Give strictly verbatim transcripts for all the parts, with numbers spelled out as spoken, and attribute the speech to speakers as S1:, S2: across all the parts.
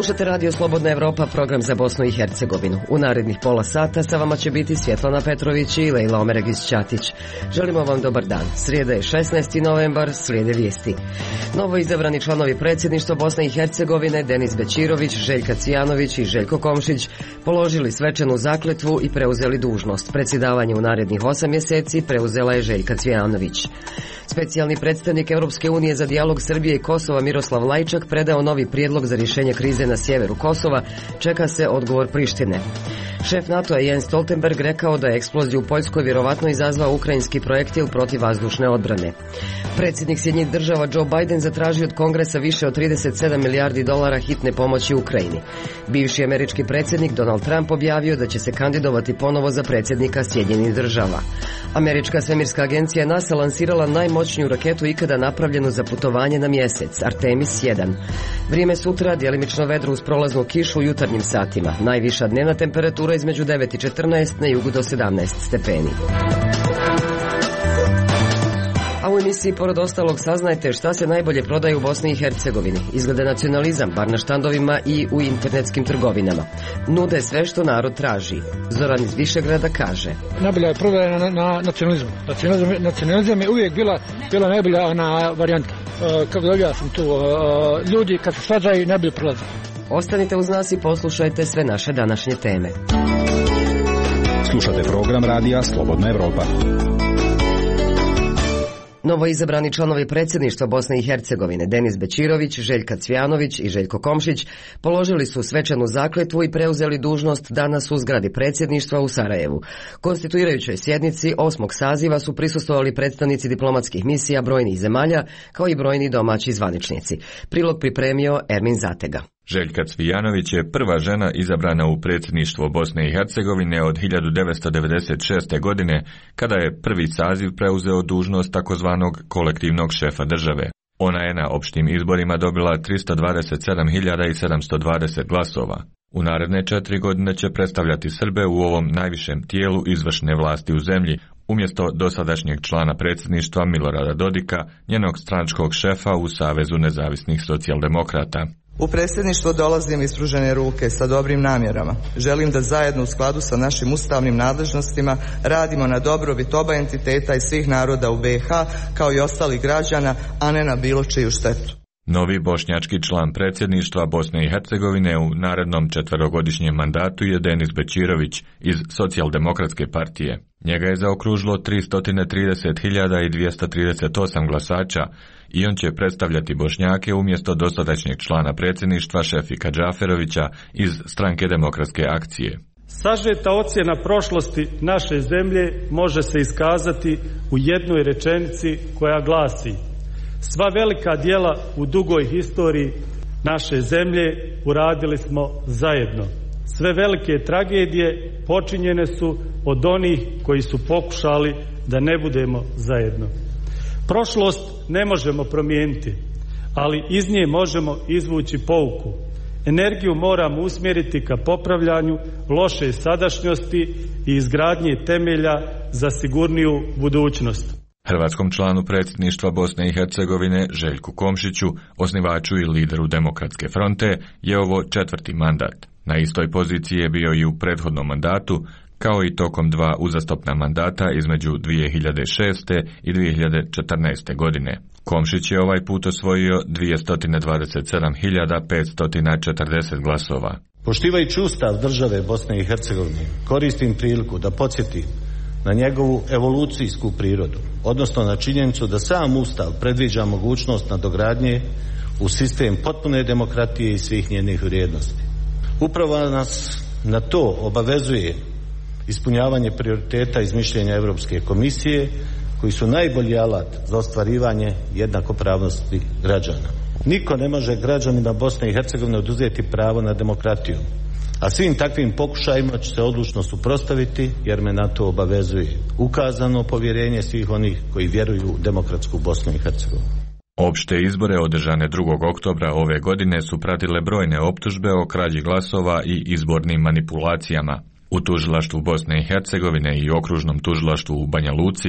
S1: Slušate Radio Slobodna Evropa, program za Bosnu i Hercegovinu. U narednih pola sata sa vama će biti Svjetlana Petrović i Lejla Omeregić-Ćatić. Želimo vam dobar dan. Srijeda je šesnaesti novembar, slijede vijesti. Novo izabrani članovi predsjedništva Bosne i Hercegovine Denis Bećirović, Željka Cvijanović i Željko Komšić položili svečanu zakletvu i preuzeli dužnost. Predsjedavanje u narednih osam mjeseci preuzela je Željka Cvijanović. Specijalni predstavnik Europske unije za dijalog Srbije i Kosova Miroslav Lajčak predao novi prijedlog za rješenje krize na sjeveru Kosova. Čeka se odgovor Prištine. Šef NATO-a Jens Stoltenberg rekao da je eksploziju u Poljskoj vjerovatno izazvao ukrajinski projektil protiv vazdušne odbrane. Predsjednik Sjedinjenih država Joe Biden zatražio od Kongresa više od trideset sedam milijardi dolara hitne pomoći Ukrajini. Bivši američki predsjednik Donald Trump objavio da će se kandidovati ponovo za predsjednika Sjedinjenih država. Američka svemirska agencija NASA lansirala najmoćniju raketu ikada napravljenu za putovanje na mjesec, Artemis jedan. Vrijeme sutra, djelimično vedro uz prolaznu kišu u jutarnjim satima. Najviša dnevna temperatura između devet i četrnaest, na jugu do sedamnaest stepeni. A u emisiji pored ostalog saznajte šta se najbolje prodaje u Bosni i Hercegovini. Izgleda nacionalizam, bar na štandovima i u internetskim trgovinama. Nude sve što narod traži. Zoran iz Višegrada kaže:
S2: najbolja je prodaja na, na nacionalizmu. Nacionalizam, nacionalizam je uvijek bila, bila najbolja ona varijanta. E, kako da objasnim tu, e, ljudi kad se svađaju ne bi prolazili.
S1: Ostanite uz nas i poslušajte sve naše današnje teme.
S3: Slušate program radija Slobodna Evropa.
S1: Novo izabrani članovi predsjedništva Bosne i Hercegovine Denis Bećirović, Željka Cvijanović i Željko Komšić položili su svečanu zakletvu i preuzeli dužnost danas u zgradi predsjedništva u Sarajevu. Konstituirajućoj sjednici osmog saziva su prisustvovali predstavnici diplomatskih misija brojnih zemalja, kao i brojni domaći zvaničnici. Prilog pripremio Ermin Zatega.
S4: Željka Cvijanović je prva žena izabrana u predsjedništvo Bosne i Hercegovine od hiljadu devetsto devedeset šeste. godine, kada je prvi saziv preuzeo dužnost takozvanog kolektivnog šefa države. Ona je na opštim izborima dobila tristo dvadeset sedam hiljada sedamsto dvadeset glasova. U naredne četiri godine će predstavljati Srbe u ovom najvišem tijelu izvršne vlasti u zemlji, umjesto dosadašnjeg člana predsjedništva Milorada Dodika, njenog stranačkog šefa u Savezu nezavisnih socijaldemokrata.
S5: U predsjedništvo dolazim ispružene ruke sa dobrim namjerama. Želim da zajedno u skladu sa našim ustavnim nadležnostima radimo na dobrobit oba entiteta i svih naroda u B i H kao i ostalih građana, a ne na bilo čiju štetu.
S4: Novi bošnjački član predsjedništva Bosne i Hercegovine u narednom četverogodišnjem mandatu je Denis Bećirović iz Socijaldemokratske partije. Njega je zaokružilo tristo trideset hiljada dvjesto trideset osam glasača i on će predstavljati Bošnjake umjesto dosadašnjeg člana predsjedništva Šefika Džaferovića iz Stranke demokratske akcije.
S6: Sažeta ocjena prošlosti naše zemlje može se iskazati u jednoj rečenici koja glasi: sva velika djela u dugoj historiji naše zemlje uradili smo zajedno. Sve velike tragedije počinjene su od onih koji su pokušali da ne budemo zajedno. Prošlost ne možemo promijeniti, ali iz nje možemo izvući pouku. Energiju moramo usmjeriti ka popravljanju loše sadašnjosti i izgradnje temelja za sigurniju budućnost.
S4: Hrvatskom članu predsjedništva Bosne i Hercegovine Željku Komšiću, osnivaču i lideru Demokratske fronte, je ovo četvrti mandat. Na istoj poziciji je bio i u prethodnom mandatu, kao i tokom dva uzastopna mandata između dvije hiljade šeste. i dvije hiljade četrnaeste. godine. Komšić je ovaj put osvojio dvjesto dvadeset sedam hiljada petsto četrdeset glasova.
S7: Poštivajući Ustav države Bosne i Hercegovine, koristim priliku da podsjetim na njegovu evolucijsku prirodu, odnosno na činjenicu da sam Ustav predviđa mogućnost nadogradnje u sistem potpune demokratije i svih njenih vrijednosti. Upravo nas na to obavezuje ispunjavanje prioriteta iz mišljenja Europske komisije, koji su najbolji alat za ostvarivanje jednakopravnosti građana. Niko ne može građanima Bosne i Hercegovine oduzeti pravo na demokratiju, a svim takvim pokušajima će se odlučno suprotstaviti, jer me na to obavezuje ukazano povjerenje svih onih koji vjeruju u demokratsku Bosnu i Hercegovinu.
S4: Opšte izbore održane drugog oktobra ove godine su pratile brojne optužbe o krađi glasova i izbornim manipulacijama. U tužilaštvu Bosne i Hercegovine i okružnom tužilaštvu u Banja Luci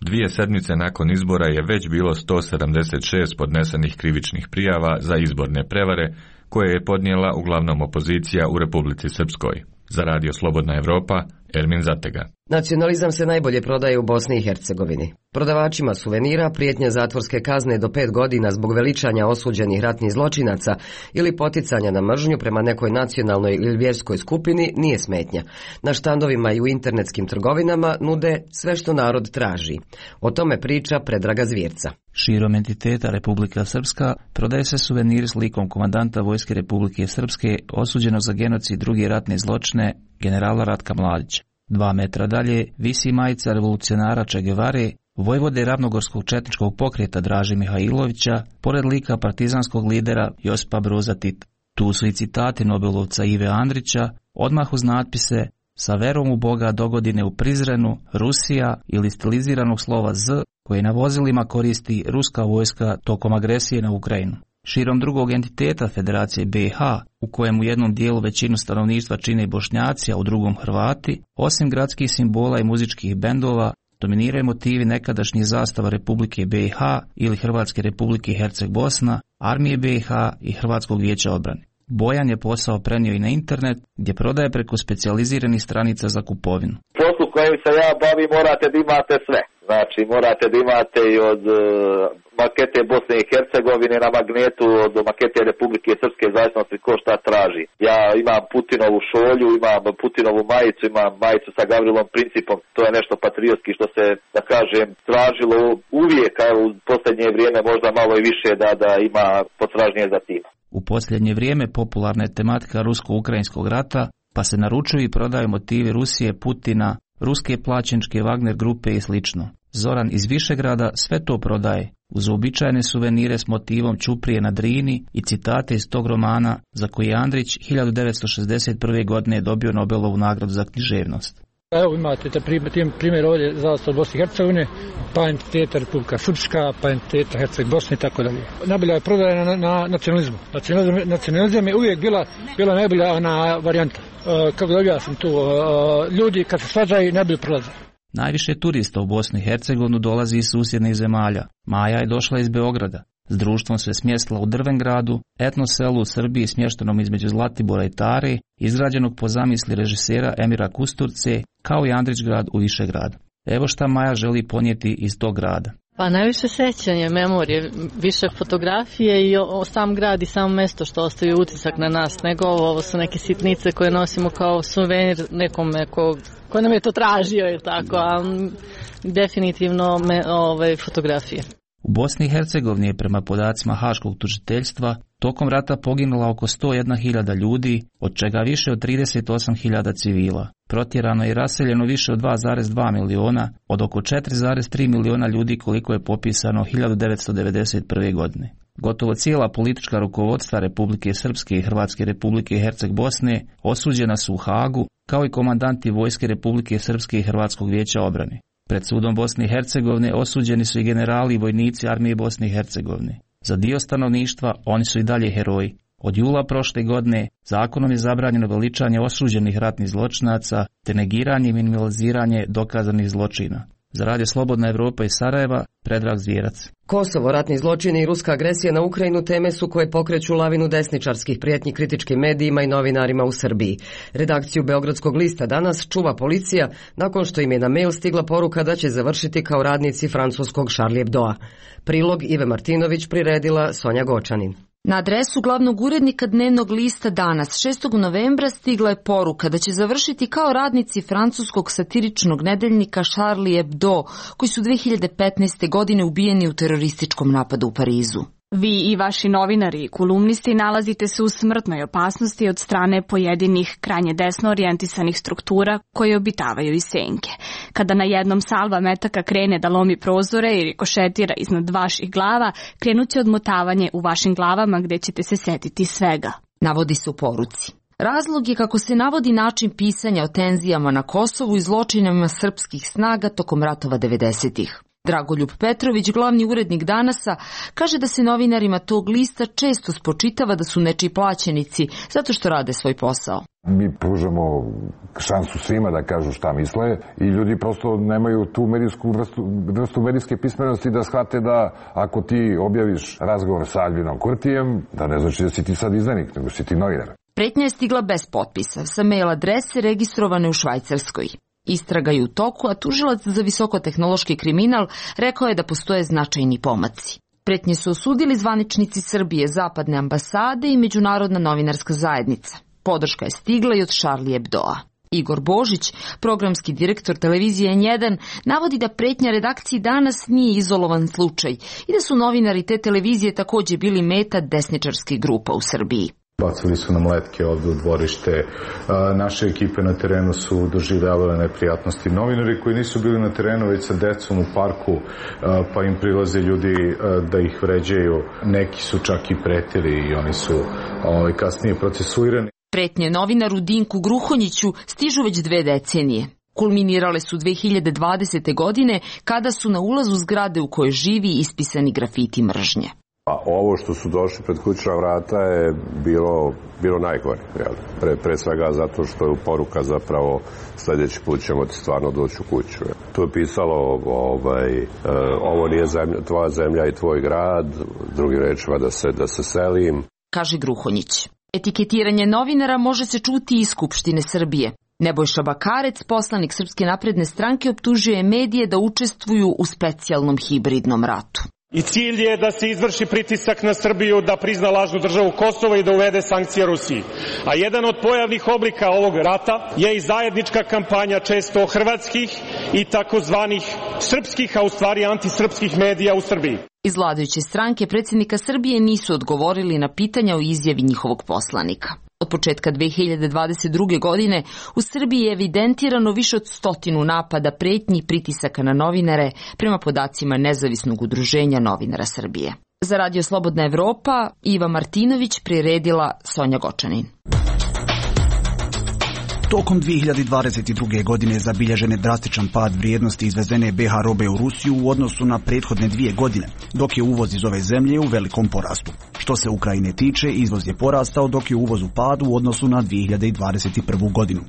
S4: dvije sedmice nakon izbora je već bilo sto sedamdeset šest podnesenih krivičnih prijava za izborne prevare, koje je podnijela uglavnom opozicija u Republici Srpskoj. Za Radio Slobodna Evropa, Ermin Zatega.
S1: Nacionalizam se najbolje prodaje u Bosni i Hercegovini. Prodavačima suvenira prijetnja zatvorske kazne do pet godina zbog veličanja osuđenih ratnih zločinaca ili poticanja na mržnju prema nekoj nacionalnoj ili vjerskoj skupini nije smetnja. Na štandovima i u internetskim trgovinama nude sve što narod traži. O tome priča Predraga Zvjerca.
S8: Širom entiteta Republika Srpska prodaje se suvenir s likom komandanta Vojske Republike Srpske osuđenog za genocid i druge ratne zločine generala Ratka Mladića. Dva metra dalje visi majica revolucionara Che Guevare, vojvode ravnogorskog četničkog pokreta Draže Mihajlovića, pored lika partizanskog lidera Josipa Broza Tita. Tu su i citati Nobelovca Ive Andrića, odmah uz natpise "Sa verom u Boga dogodine u Prizrenu, Rusija" ili stiliziranog slova Z koje na vozilima koristi ruska vojska tokom agresije na Ukrajinu. Širom drugog entiteta Federacije B i H, u kojem u jednom dijelu većinu stanovništva čine Bošnjaci, a u drugom Hrvati, osim gradskih simbola i muzičkih bendova, dominiraju motivi nekadašnjih zastava Republike B i H ili Hrvatske Republike Herceg Bosna, Armije B i H i Hrvatskog vijeća obrane. Bojan je posao prenio i na internet, gdje prodaje preko specijaliziranih stranica za kupovinu.
S9: Poslu kojim se ja bavim morate da imate sve. Znači morate da imate i od uh, makete Bosne i Hercegovine na magnetu, od makete Republike Srpske, zavisnosti ko šta traži. Ja imam Putinovu šolju, imam Putinovu majicu, imam majicu sa Gavrilom Principom. To je nešto patriotski što se, da kažem, tražilo uvijek, a u posljednje vrijeme možda malo i više da, da ima potražnje za tim.
S8: U posljednje vrijeme popularna je tematika rusko-ukrajinskog rata, pa se naručuju i prodaju motivi Rusije, Putina, ruske plaćeničke Wagner grupe i slično. Zoran iz Višegrada sve to prodaje, uz uobičajene suvenire s motivom Ćuprije na Drini i citate iz tog romana za koji je Andrić hiljadu devetsto šezdeset prve. godine dobio Nobelovu nagradu za književnost.
S2: Evo imate te primjer ovdje zastava Bosne i Hercegovine, pa entiteta Republika Srpska, pa entiteta Herceg Bosne i tako dalje. Najbolja je prodaja na, na nacionalizmu. Nacionalizam, nacionalizam je uvijek bila, bila najbolja ona varijanta. E, kako da objasnim tu, e, ljudi kad se svađaju ne bi prolazili.
S8: Najviše turista u Bosnu i Hercegovinu dolazi iz susjednih zemalja. Maja je došla iz Beograda. S društvom se smjestila u Drvengradu, etno selu u Srbiji smještenom između Zlatibora i Tare, izgrađenog po zamisli režisera Emira Kusturce, kao i Andrićgrad u Višegradu. Evo šta Maja želi ponijeti iz tog grada.
S10: Pa najviše sećanje, memorije, više fotografije i o, sam grad i samo mjesto što ostaje utisak na nas, nego ovo, ovo su neke sitnice koje nosimo kao suvenir nekome ko, ko nam je to tražio ili tako, a definitivno me, ove, fotografije.
S8: U Bosni i Hercegovini je prema podacima Haškog tužiteljstva tokom rata poginula oko sto jedna hiljada ljudi, od čega više od trideset osam hiljada civila. Protjerano i raseljeno više od dva zarez dva miliona, od oko četiri zarez tri miliona ljudi koliko je popisano hiljadu devetsto devedeset prve. godine. Gotovo cijela politička rukovodstva Republike Srpske i Hrvatske Republike Herceg Bosne osuđena su u Hagu, kao i komandanti Vojske Republike Srpske i Hrvatskog vijeća obrane. Pred sudom Bosne i Hercegovine osuđeni su i generali i vojnici Armije Bosne i Hercegovine. Za dio stanovništva oni su i dalje heroji. Od jula prošle godine zakonom je zabranjeno veličanje osuđenih ratnih zločinaca te negiranje i minimaliziranje dokazanih zločina. Za Radio Slobodna Evropa iz Sarajeva, Predrag Zvjerac.
S1: Kosovo, ratni zločini i ruska agresija na Ukrajinu teme su koje pokreću lavinu desničarskih prijetnji kritičkim medijima i novinarima u Srbiji. Redakciju Beogradskog lista danas čuva policija nakon što im je na mail stigla poruka da će završiti kao radnici francuskog Charlie Hebdoa. Prilog Ive Martinović priredila Sonja Gočanin.
S11: Na adresu glavnog urednika dnevnog lista danas, šestog novembra, stigla je poruka da će završiti kao radnici francuskog satiričnog nedeljnika Charlie Hebdo, koji su dve hiljade petnaeste. godine ubijeni u terorističkom napadu u Parizu.
S12: Vi i vaši novinari i kolumnisti nalazite se u smrtnoj opasnosti od strane pojedinih krajnje desno orijentisanih struktura koje obitavaju iz senke. Kada na jednom salva metaka krene da lomi prozore i rikošetira iznad vaših glava, krenuće odmotavanje u vašim glavama gdje ćete se setiti svega.
S11: Navodi se u poruci. Razlog je, kako se navodi, način pisanja o tenzijama na Kosovu i zločinama srpskih snaga tokom ratova devedesetih. Dragoljub Petrović, glavni urednik Danasa, kaže da se novinarima tog lista često spočitava da su nečiji plaćenici zato što rade svoj posao.
S13: Mi pružamo šansu svima da kažu šta misle i ljudi prosto nemaju tu medijsku vrstu, vrstu medijske pismenosti da shvate da ako ti objaviš razgovor sa Albinom Kurtijem, da ne znači da si ti sad izdanik, nego si ti novinar.
S11: Pretnja je stigla bez potpisa, sa mail adrese registrovane u Švajcarskoj. Istraga je u toku, a tužilac za visokotehnološki kriminal rekao je da postoje značajni pomaci. Pretnje su osudili zvaničnici Srbije, zapadne ambasade i međunarodna novinarska zajednica. Podrška je stigla i od Charlie Hebdoa. Igor Božić, programski direktor televizije N jedan, navodi da pretnja redakciji Danas nije izolovan slučaj i da su novinari te televizije takođe bili meta desničarskih grupa u Srbiji.
S14: Bacili su nam letke ovde u dvorište, naše ekipe na terenu su doživljavale neprijatnosti. Novinari koji nisu bili na terenu već sa decom u parku, pa im prilaze ljudi da ih vređaju, neki su čak i pretili i oni su ovaj, kasnije procesuirani.
S11: Pretnje novinaru Dinku Gruhonjiću stižu već dve decenije. Kulminirale su dve hiljade dvadesete. godine kada su na ulazu zgrade u kojoj živi ispisani grafiti mržnje.
S15: A ovo što su došli pred kućna vrata je bilo, bilo najgore. Pre, pre svega zato što je poruka zapravo sljedeći put ćemo ti stvarno doći u kuću. Tu je pisalo ovaj, e, ovo nije zemlja, tvoja zemlja i tvoj grad, drugim rečima da se, da se selim.
S11: Kaže Gruhonjić. Etiketiranje novinara može se čuti iz Skupštine Srbije. Nebojša Bakarec, poslanik Srpske napredne stranke, optužuje medije da učestvuju u specijalnom hibridnom ratu.
S16: I cilj je da se izvrši pritisak na Srbiju da prizna lažnu državu Kosovo i da uvede sankcije Rusiji. A jedan od pojavnih oblika ovog rata je i zajednička kampanja često hrvatskih i takozvanih srpskih, a u stvari antisrpskih medija u Srbiji.
S11: Iz vladajuće stranke predsjednika Srbije nisu odgovorili na pitanja o izjavi njihovog poslanika. Od početka dve hiljade dvadeset druge. godine u Srbiji je evidentirano više od stotinu napada, pretnji i pritisaka na novinare prema podacima Nezavisnog udruženja novinara Srbije. Za Radio Slobodna Evropa, Iva Martinović, priredila Sonja Gočanin.
S3: Tokom dve hiljade dvadeset druge. godine zabilježen je drastičan pad vrijednosti izvezene B H robe u Rusiju u odnosu na prethodne dvije godine, dok je uvoz iz ove zemlje u velikom porastu. Što se Ukrajine tiče, izvoz je porastao dok je uvoz u padu u odnosu na dve hiljade dvadeset prvu. godinu.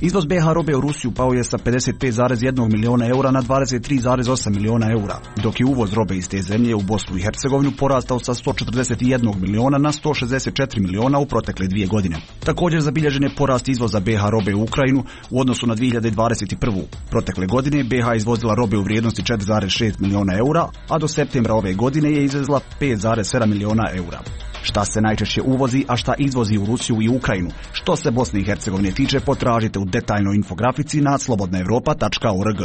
S3: Izvoz B H robe u Rusiju pao je sa pedeset pet zarez jedan miliona eura na dvadeset tri zarez osam miliona eura, dok je uvoz robe iz te zemlje u Bosnu i Hercegovinu porastao sa sto četrdeset jedan miliona na sto šezdeset četiri miliona u protekle dvije godine. Također zabilježen je porast izvoza B H robe u Ukrajinu u odnosu na dve hiljade dvadeset prvu. Protekle godine B H izvozila robe u vrijednosti četiri zarez šest miliona eura, a do septembra ove godine je izvezla pet zarez sedam miliona eura. Šta se najčešće uvozi, a šta izvozi u Rusiju i Ukrajinu? Što se Bosne i Hercegovine tiče, potražite u detaljnoj infografici na slobodna evropa tačka org.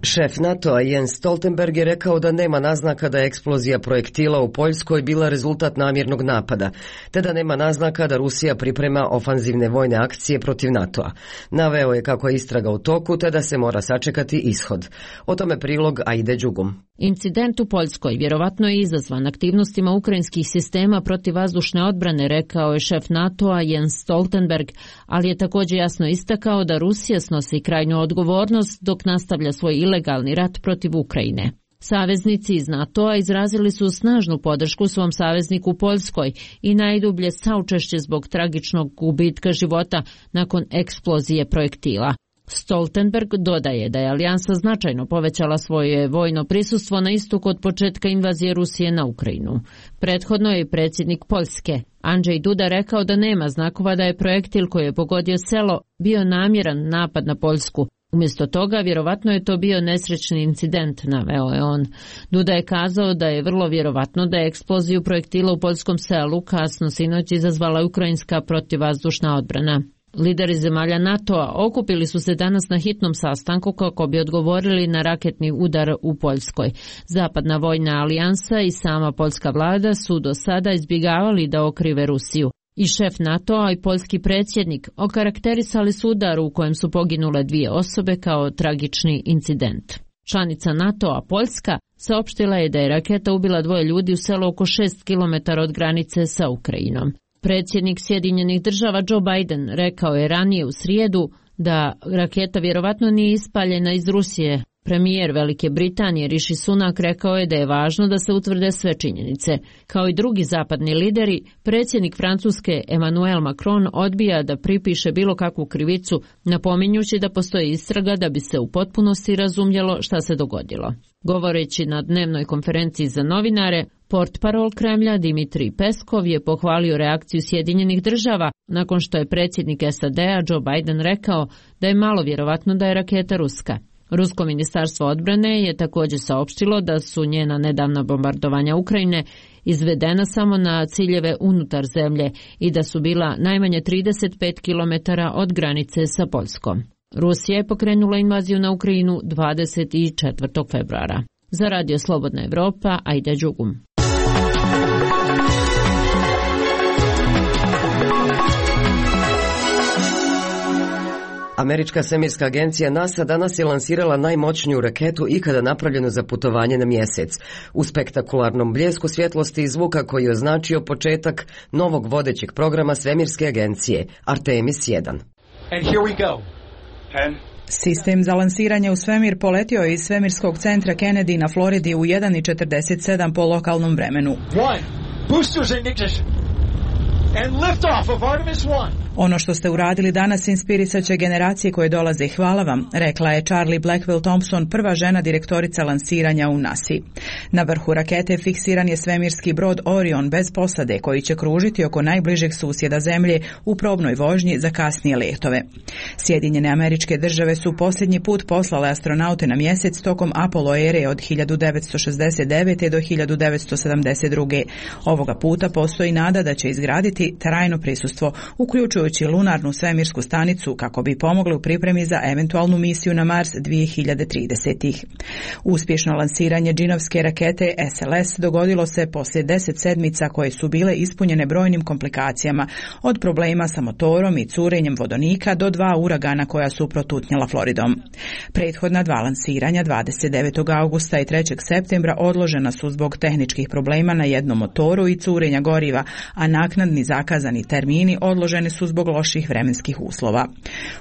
S1: Šef NATO-a Jens Stoltenberg je rekao da nema naznaka da je eksplozija projektila u Poljskoj bila rezultat namjernog napada, te da nema naznaka da Rusija priprema ofanzivne vojne akcije protiv NATO-a. Naveo je kako je istraga u toku, te da se mora sačekati ishod. O tome prilog Aide Đugum.
S17: Incident u Poljskoj vjerovatno je izazvan aktivnostima ukrajinskih sistema protivvazdušne odbrane, rekao je šef NATO-a Jens Stoltenberg, ali je također jasno istakao da Rusija snosi krajnju odgovornost dok nastavlja svoj ilegalni rat protiv Ukrajine. Saveznici iz NATO-a izrazili su snažnu podršku svom savezniku u Poljskoj i najdublje saučešće zbog tragičnog gubitka života nakon eksplozije projektila. Stoltenberg dodaje da je alijansa značajno povećala svoje vojno prisustvo na istoku od početka invazije Rusije na Ukrajinu. Prethodno je predsjednik Poljske, Andrzej Duda, rekao da nema znakova da je projektil koji je pogodio selo bio namjeran napad na Poljsku. Umjesto toga, vjerovatno je to bio nesrećni incident, naveo je on. Duda je kazao da je vrlo vjerovatno da je eksploziju projektila u poljskom selu kasno sinoć izazvala ukrajinska protivvazdušna odbrana. Lideri zemalja NATO-a okupili su se danas na hitnom sastanku kako bi odgovorili na raketni udar u Poljskoj. Zapadna vojna alijansa i sama poljska vlada su do sada izbjegavali da okrive Rusiju. I šef NATO-a i poljski predsjednik okarakterisali su udar u kojem su poginule dvije osobe kao tragični incident. Članica NATO-a Poljska saopštila je da je raketa ubila dvoje ljudi u selu oko šest kilometara od granice sa Ukrajinom. Predsjednik Sjedinjenih država Joe Biden rekao je ranije u srijedu da raketa vjerovatno nije ispaljena iz Rusije. Premijer Velike Britanije Rishi Sunak rekao je da je važno da se utvrde sve činjenice. Kao i drugi zapadni lideri, predsjednik Francuske Emmanuel Macron odbija da pripiše bilo kakvu krivicu, napominjući da postoji istraga da bi se u potpunosti razumjelo šta se dogodilo. Govoreći na dnevnoj konferenciji za novinare, portparol Kremlja Dimitrij Peskov je pohvalio reakciju Sjedinjenih država nakon što je predsjednik S A D-a Joe Biden rekao da je malo vjerovatno da je raketa ruska. Rusko ministarstvo odbrane je također saopštilo da su njena nedavna bombardovanja Ukrajine izvedena samo na ciljeve unutar zemlje i da su bila najmanje trideset pet kilometara od granice sa Poljskom. Rusija je pokrenula invaziju na Ukrajinu dvadeset četvrtog februara. Za Radio Slobodna Evropa, Aida Đugum.
S1: Američka svemirska agencija NASA danas je lansirala najmoćniju raketu ikada napravljenu za putovanje na mjesec, u spektakularnom bljesku svjetlosti i zvuka koji je označio početak novog vodećeg programa svemirske agencije, Artemis jedan.
S18: And here we go. Ten. Sistem za lansiranje u svemir poletio je iz svemirskog centra Kennedy na Floridi u jedan četrdeset sedam po lokalnom vremenu. One. Boosters ignition. And lift off of Artemis one. Ono što ste uradili danas inspirisat će generacije koje dolaze i hvala vam, rekla je Charlie Blackwell Thompson, prva žena direktorica lansiranja u nasi. Na vrhu rakete fiksiran je svemirski brod Orion bez posade koji će kružiti oko najbližeg susjeda Zemlje u probnoj vožnji za kasnije letove. Sjedinjene Američke Države su posljednji put poslale astronaute na mjesec tokom Apollo ere od hiljadu devetsto šezdeset devete. do hiljadu devetsto sedamdeset druge. Ovoga puta postoji nada da će izgraditi trajno prisustvo, uključujući lunarnu svemirsku stanicu kako bi pomogli u pripremi za eventualnu misiju na Mars dvije hiljade tridesete. Uspješno lansiranje džinovske rakete S L S dogodilo se poslije deset sedmica koje su bile ispunjene brojnim komplikacijama, od problema sa motorom i curenjem vodonika do dva uragana koja su protutnjala Floridom. Prethodna dva lansiranja dvadeset devetog augusta i trećeg septembra odložena su zbog tehničkih problema na jednom motoru i curenja goriva, a naknadni zakazani termini odloženi su zbog loših vremenskih uslova.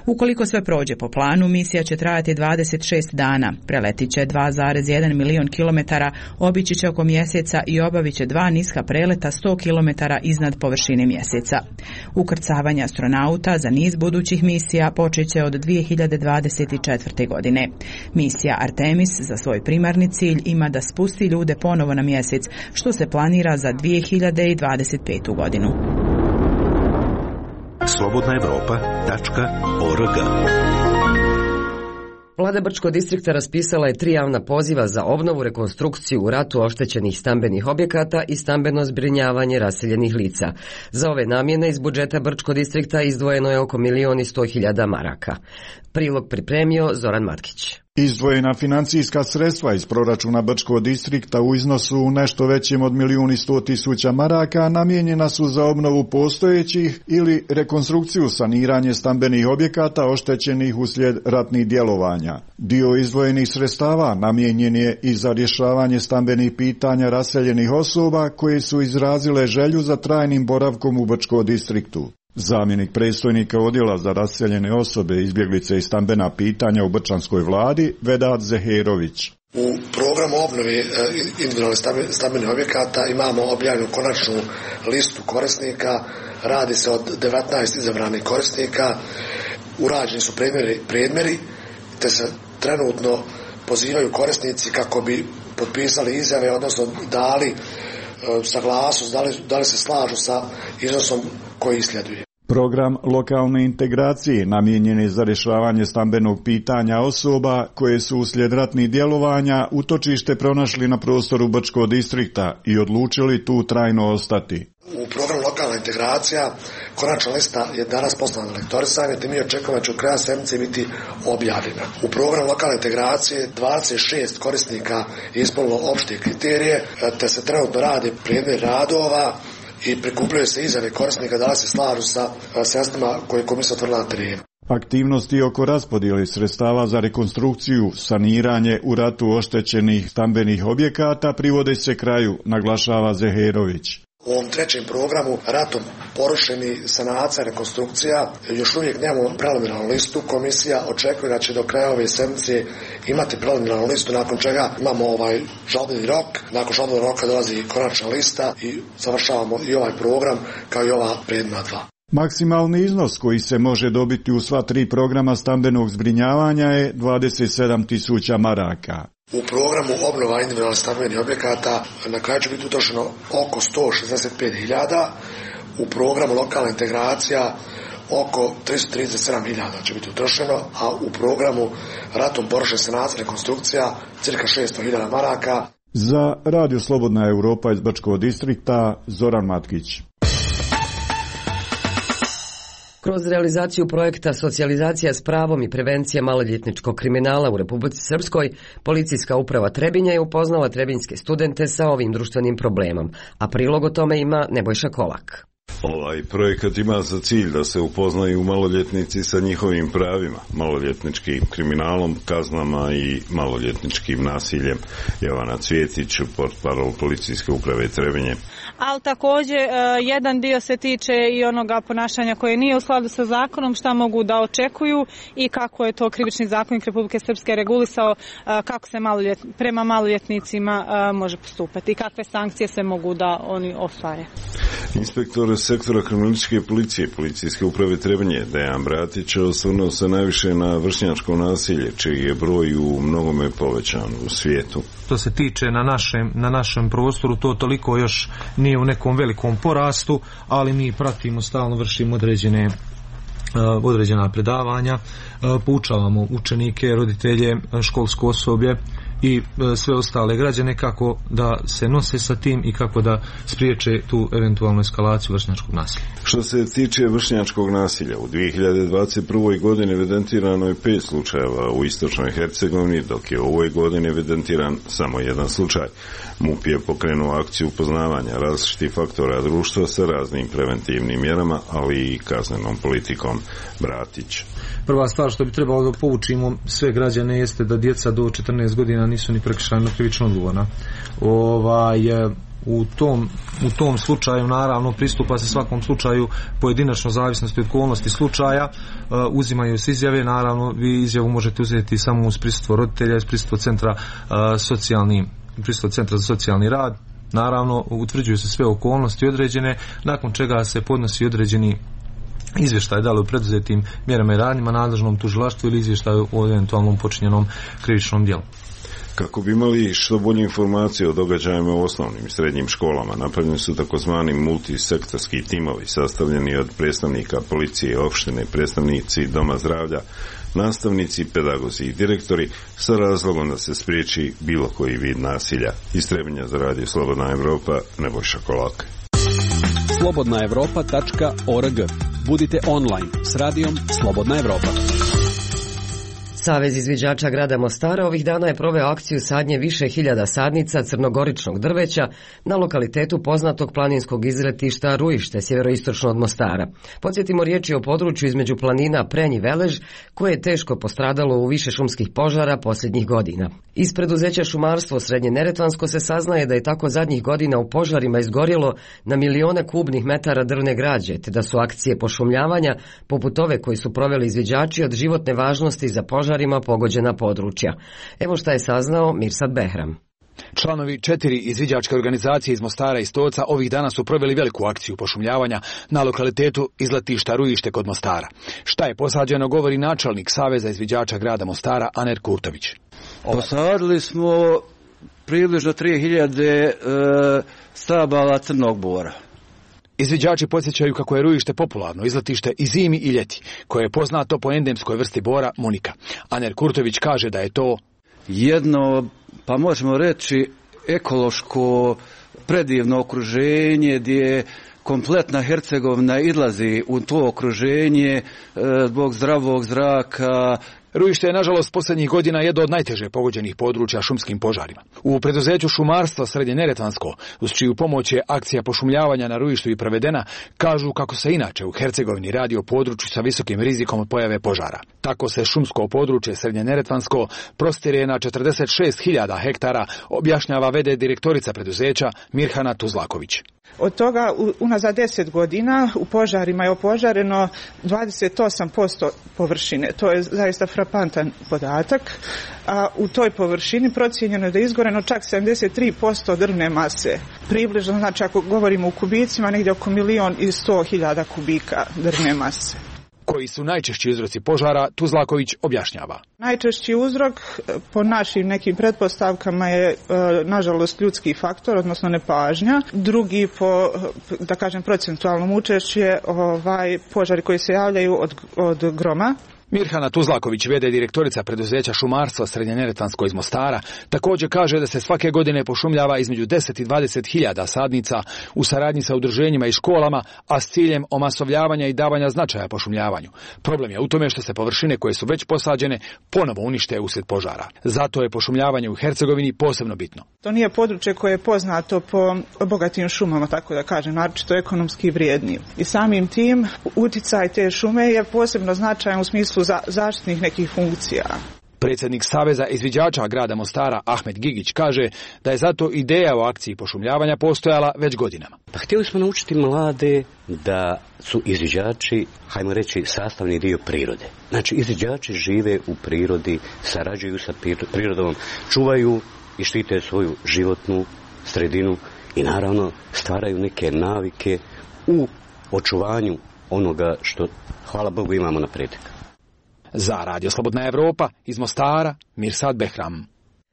S18: Ukoliko sve prođe po planu, misija će trajati dvadeset šest dana, preletit će dva zarez jedan milion kilometara, obići će oko mjeseca i obavit će dva niska preleta sto kilometara iznad površine mjeseca. Ukrcavanje astronauta za niz budućih misija počet će od dvije hiljade dvadeset četvrte. godine. Misija Artemis za svoj primarni cilj ima da spusti ljude ponovo na mjesec, što se planira za dvije hiljade dvadeset petu. godinu.
S19: slobodna evropa tačka org.
S1: Vlada Brčkog distrikta raspisala je tri javna poziva za obnovu, rekonstrukciju u ratu oštećenih stambenih objekata i stambeno zbrinjavanje raseljenih lica. Za ove namjene iz budžeta Brčkog distrikta izdvojeno je oko milion i sto hiljada maraka. Prilog pripremio Zoran Matkić.
S20: Izdvojena financijska sredstva iz proračuna Brčkog distrikta u iznosu nešto većim od milijun i sto tisuća maraka namijenjena su za obnovu postojećih ili rekonstrukciju saniranje stambenih objekata oštećenih uslijed ratnih djelovanja. Dio izdvojenih sredstava namijenjen je i za rješavanje stambenih pitanja raseljenih osoba koje su izrazile želju za trajnim boravkom u Brčkom distriktu. Zamjenik predstojnika odjela za raseljene osobe, izbjeglice i stambena pitanja u brčanskoj vladi, Vedat Zeherović.
S21: U programu obnove individualnih stambenih objekata imamo objavljenu konačnu listu korisnika, radi se od devetnaest izabranih korisnika, urađeni su predmeri, predmeri te se trenutno pozivaju korisnici kako bi potpisali izjave, odnosno dali saglasnost, da li, da li se slažu sa iznosom koji sljeduje.
S20: Program lokalne integracije namijenjen je za rješavanje stambenog pitanja osoba koje su uslijed ratnih djelovanja utočište pronašli na prostoru Brčkog distrikta i odlučili tu trajno ostati.
S21: U programu lokalna integracija konačna lista je danas poslana na lektorisanje, te mi očekujemo da će u kraja sedmice biti objavljena. U programu lokalne integracije dvadeset šest korisnika je ispunilo opšte kriterije, te se trenutno rade predmet radova i prikupljaju se izjave korisnika da li se slažu sa sredstvima koje komisija utvrdila na terenu.
S20: Aktivnosti oko raspodjele sredstava za rekonstrukciju, saniranje u ratu oštećenih stambenih objekata privode se kraju, naglašava Zeherović.
S21: U ovom trećem programu ratom porušeni sanacija, rekonstrukcija, još uvijek nemamo preliminarnu listu. Komisija očekuje da će do kraja ove sedmice imati preliminarnu listu, nakon čega imamo ovaj žalbeni rok. Nakon žalbenog roka dolazi konačna lista i završavamo i ovaj program kao i ova prethodna dva.
S20: Maksimalni iznos koji se može dobiti u sva tri programa stambenog zbrinjavanja je dvadeset sedam tisuća maraka.
S21: U programu obnova individualnih stambenih objekata na kraju će biti utrošeno oko sto šezdeset pet hiljada, u programu lokalna integracija oko tristo trideset sedam hiljada će biti utrošeno, a u programu ratom porušena sanacija, rekonstrukcija cirka šesto hiljada maraka.
S20: Za Radio Slobodna Europa iz Brčkog distrikta, Zoran Matkić.
S1: Kroz realizaciju projekta Socijalizacija s pravom i prevencija maloljetničkog kriminala u Republici Srpskoj, Policijska uprava Trebinja je upoznala trebinjske studente sa ovim društvenim problemom, a prilog o tome ima Nebojša Kolak.
S5: Ovaj projekat ima za cilj da se upoznaju maloljetnici sa njihovim pravima, maloljetničkim kriminalom, kaznama i maloljetničkim nasiljem. Jovana Cvjetić, portparol Policijske uprave Trebinje.
S22: Ali također jedan dio se tiče i onoga ponašanja koje nije u skladu sa zakonom, šta mogu da očekuju i kako je to krivični zakonik Republike Srpske regulisao, kako se maloljet, prema maloljetnicima može postupati i kakve sankcije se mogu da oni ostvare.
S5: Inspektor sektora kriminalističke policije Policijske uprave Trebinje Dejan Bratić osvrnuo se najviše na vršnjačko nasilje, čiji je broj u mnogome povećan u svijetu.
S23: To se tiče na našem, na našem prostoru, to toliko još nije u nekom velikom porastu, ali mi pratimo, stalno vršimo određene određena predavanja, poučavamo učenike, roditelje, školsko osoblje i sve ostale građane kako da se nose sa tim i kako da spriječe tu eventualnu eskalaciju vršnjačkog nasilja.
S5: Što se tiče vršnjačkog nasilja, u dvije hiljade dvadeset prvoj. godini evidentirano je pet slučajeva u istočnoj Hercegovini, dok je u ovoj godini evidentiran samo jedan slučaj. MUP je pokrenuo akciju upoznavanja različitih faktora društva sa raznim preventivnim mjerama, ali i kaznenom politikom. Bratić.
S23: Prva stvar što bi trebalo da poučimo sve građane jeste da djeca do četrnaest godina nisu ni prekršajno krivično odgovorna. Ovaj, u tom, u tom slučaju naravno pristupa se svakom slučaju pojedinačno, zavisnosti od okolnosti slučaja, uzimaju se izjave, naravno vi izjavu možete uzeti samo uz prisustvo roditelja, uz prisustvo centra socijalni, prisustvo centra za socijalni rad. Naravno utvrđuju se sve okolnosti određene, nakon čega se podnosi određeni izvještaj da li u preduzetim mjerama i radnjima nadležnom tužilaštvu ili izvještaju o eventualnom počinjenom krivičnom djelu.
S5: Kako bi imali što bolje informacije o događajima u osnovnim i srednjim školama, napravljeni su takozvani multisektorski timovi sastavljeni od predstavnika policije, opštine, predstavnici doma zdravlja, nastavnici, pedagozi i direktori sa razlogom da se spriječi bilo koji vid nasilja. Iz Trebinja za Radio Slobodna Evropa, Nebojša Kolak.
S24: slobodna evropa tačka org. Budite online s radijom Slobodna Evropa.
S1: Savez izviđača grada Mostara ovih dana je proveo akciju sadnje više hiljada sadnica crnogoričnog drveća na lokalitetu poznatog planinskog izletišta Ruište, sjeveroistočno od Mostara. Podsjetimo, riječ je o području između planina Prenj i Velež, koje je teško postradalo u više šumskih požara posljednjih godina. Iz preduzeća Šumarstvo Srednje Neretvansko se saznaje da je tako zadnjih godina u požarima izgorjelo na milione kubnih metara drvne građe, te da su akcije pošumljavanja, poput ove koji su proveli izviđači, od životne važnosti za požarima pogođena područja. Evo šta je saznao Mirsad Behram.
S25: Članovi četiri izviđačke organizacije iz Mostara i Stoca ovih dana su proveli veliku akciju pošumljavanja na lokalitetu izletišta Ruište kod Mostara. Šta je posađeno, govori načelnik Saveza izviđača grada Mostara Aner Kurtović.
S26: Posadili smo približno tri hiljade e, stabala crnog bora.
S25: Izviđači podsjećaju kako je Ruište popularno izletište i zimi i ljeti, koje je poznato po endemskoj vrsti bora munika. Aner Kurtović kaže da je to
S26: jedno, pa možemo reći, ekološko predivno okruženje gdje kompletna Hercegovina izlazi u to okruženje zbog zdravog zraka.
S25: Ruište je, nažalost, posljednjih godina jedno od najteže pogođenih područja šumskim požarima. U preduzeću Šumarstva Srednje Neretvansko, uz čiju pomoć je akcija pošumljavanja na Ruištu i provedena, kažu kako se inače u Hercegovini radi o području sa visokim rizikom od pojave požara. Tako se šumsko područje Srednje Neretvansko prostire na četrdeset šest hiljada hektara, objašnjava v d direktorica preduzeća Mirhana Tuzlaković.
S2: Od toga unazad deset godina u požarima je opožareno dvadeset osam posto površine. To je zaista frapantan podatak. A u toj površini procijenjeno je da je izgoreno čak sedamdeset tri posto drvne mase. Približno, znači ako govorimo u kubicima, negdje oko milion i sto hiljada kubika drvne mase.
S25: Koji su najčešći uzroci požara, Tuzlaković objašnjava.
S2: Najčešći uzrok po našim nekim pretpostavkama je nažalost ljudski faktor, odnosno nepažnja. Drugi po, da kažem, procentualnom učešću je ovaj, požari koji se javljaju od, od groma.
S25: Mirhana Tuzlaković, v d direktorica preduzeća šumarstva Srednjeneretvansko iz Mostara, također kaže da se svake godine pošumljava između deset i dvadeset hiljada sadnica u saradnji sa udruženjima i školama, a s ciljem omasovljavanja i davanja značaja pošumljavanju. Problem je u tome što se površine koje su već posađene ponovo unište uslijed požara. Zato je pošumljavanje u Hercegovini posebno bitno.
S2: To nije područje koje je poznato po bogatim šumama, tako da kažem, naročito ekonomski vrijedni. I samim tim uticaj te šume je posebno značajan u smislu za zaštitnih nekih funkcija.
S25: Predsjednik Saveza izviđača grada Mostara Ahmed Gigić kaže da je zato ideja o akciji pošumljavanja postojala već godinama.
S4: Pa htjeli smo naučiti mlade da su izviđači, hajmo reći, sastavni dio prirode. Znači, izviđači žive u prirodi, sarađuju sa prirodom, čuvaju i štite svoju životnu sredinu i naravno stvaraju neke navike u očuvanju onoga što, hvala Bogu, imamo naprijed.
S25: Za Radio Slobodna Evropa iz Mostara, Mirsad Behram.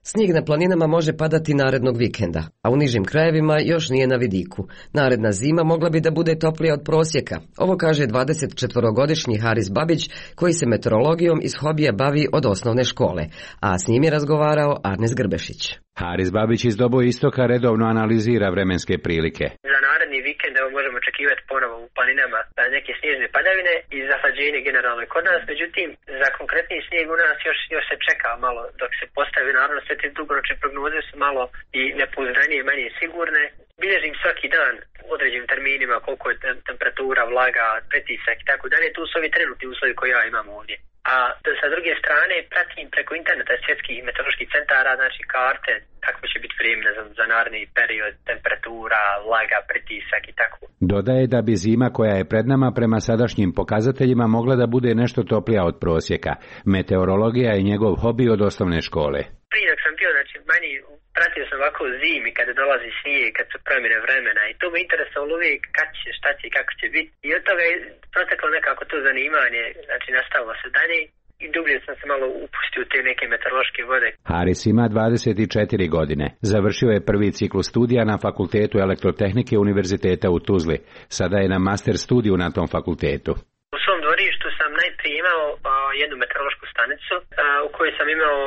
S1: Snijeg na planinama može padati narednog vikenda, a u nižim krajevima još nije na vidiku. Naredna zima mogla bi da bude toplija od prosjeka. Ovo kaže dvadesetčetvorogodišnji Haris Babić, koji se meteorologijom iz hobija bavi od osnovne škole, a s njim je razgovarao Arnes Grbešić.
S6: Haris Babić iz Dobo Istoka redovno analizira vremenske prilike.
S7: Za naredni vikend evo možemo očekivati ponovo u planinama neke snježne padavine i zahlađenje generalno kod nas, međutim za konkretni snijeg u nas još, još se čeka malo dok se postavi, naravno sve te dugoročne prognoze su malo i nepouzdanije, manje sigurne. Bilježim svaki dan u određenim terminima koliko je temperatura, vlaga, pritisak i tako dalje. Tu su ovi trenutni uslovi koje ja imam ovdje. A sa druge strane pratim preko interneta svjetskih meteoroloških centara, znači karte, kako će biti vrijeme za, za naredni period, temperatura, vlaga, pritisak i tako.
S6: Dodaje da bi zima koja je pred nama prema sadašnjim pokazateljima mogla da bude nešto toplija od prosjeka. Meteorologija je njegov hobi od osnovne škole.
S7: Prije dok sam bio, znači manje pratio sam ovako zimi kada dolazi snijeg, kad su promjene vremena i to me interesovalo uvijek kad će, šta će i kako će biti. I od toga je proteklo nekako to zanimanje, znači nastavilo se dalje i dublje sam se malo upustio u te neke meteorološke vode.
S6: Haris ima dvadeset četiri godine. Završio je prvi ciklus studija na Fakultetu elektrotehnike Univerziteta u Tuzli. Sada je na master studiju na tom fakultetu.
S7: U svom dvorištu sam najprije imao a, jednu meteorološku stanicu a, u kojoj sam imao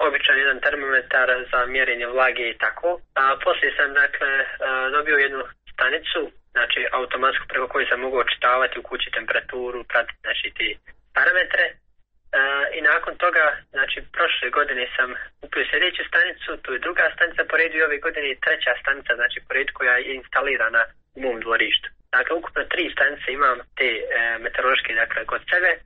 S7: običan jedan termometar za mjerenje vlage i tako. A poslije sam dakle a, dobio jednu stanicu, znači automatsku preko koju sam mogao očitavati u kući temperaturu, pratiti znači te parametre. A, I nakon toga, znači prošle godine sam kupio sljedeću stanicu, tu je druga stanica po redu i ove godine je treća stanica, znači po redu koja je instalirana u mom dvorištu. Dakle, ukupno tri stanice imam te e, meteorološke, dakle, kod sebe. E,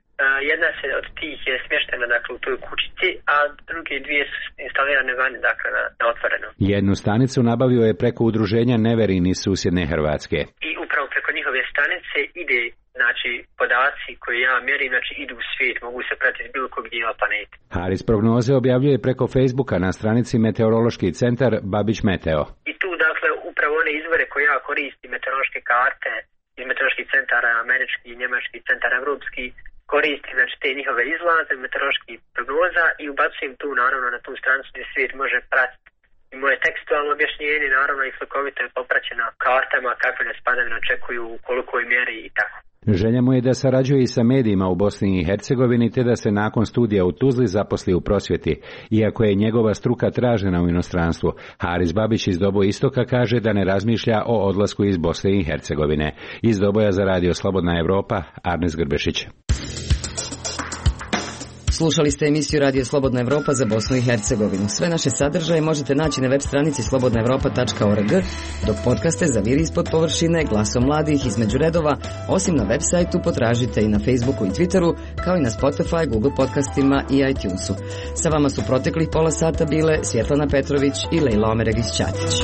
S7: jedna se od tih je smještena, dakle, u toj kućici, a druge dvije su instalirane vani, dakle, na, na otvorenom.
S6: Jednu stanicu nabavio je preko udruženja Neverin iz susjedne Hrvatske.
S7: I upravo preko njihove stanice ide, znači, podaci koje ja mjerim, znači, idu u svijet, mogu se pratiti bilo kog dijela planete.
S6: Haris prognoze objavljuje preko Facebooka na stranici Meteorološki centar Babić Meteo.
S7: I tu, dakle, upravo one izvore koje ja koristim, meteorološke karte iz meteoroloških centara američki, njemački, centar evropski, koristim znači te njihove izlaze, meteoroloških prognoza i ubacujem tu naravno na tu stranicu gdje svijet može pratiti. I moje tekstualno objašnjenje naravno i slikovito je popraćeno kartama kakve nas padavine očekuju, u kolikoj mjeri i tako.
S6: Želja mu je da sarađuje i sa medijima u Bosni i Hercegovini te da se nakon studija u Tuzli zaposli u prosvjeti. Iako je njegova struka tražena u inostranstvu, Haris Babić iz Dobo Istoka kaže da ne razmišlja o odlasku iz Bosne i Hercegovine. Iz Doboja za Radio Slobodna Evropa, Arnes Grbešić.
S1: Slušali ste emisiju Radio Slobodna Evropa za Bosnu i Hercegovinu. Sve naše sadržaje možete naći na web stranici slobodna evropa tačka org, dok podcaste za Vir ispod površine, Glasom mladih, Između redova, osim na web sajtu potražite i na Facebooku i Twitteru, kao i na Spotify, Google podcastima i iTunesu. Sa vama su proteklih pola sata bile Svjetlana Petrović i Lejla Omeregić Ćatić.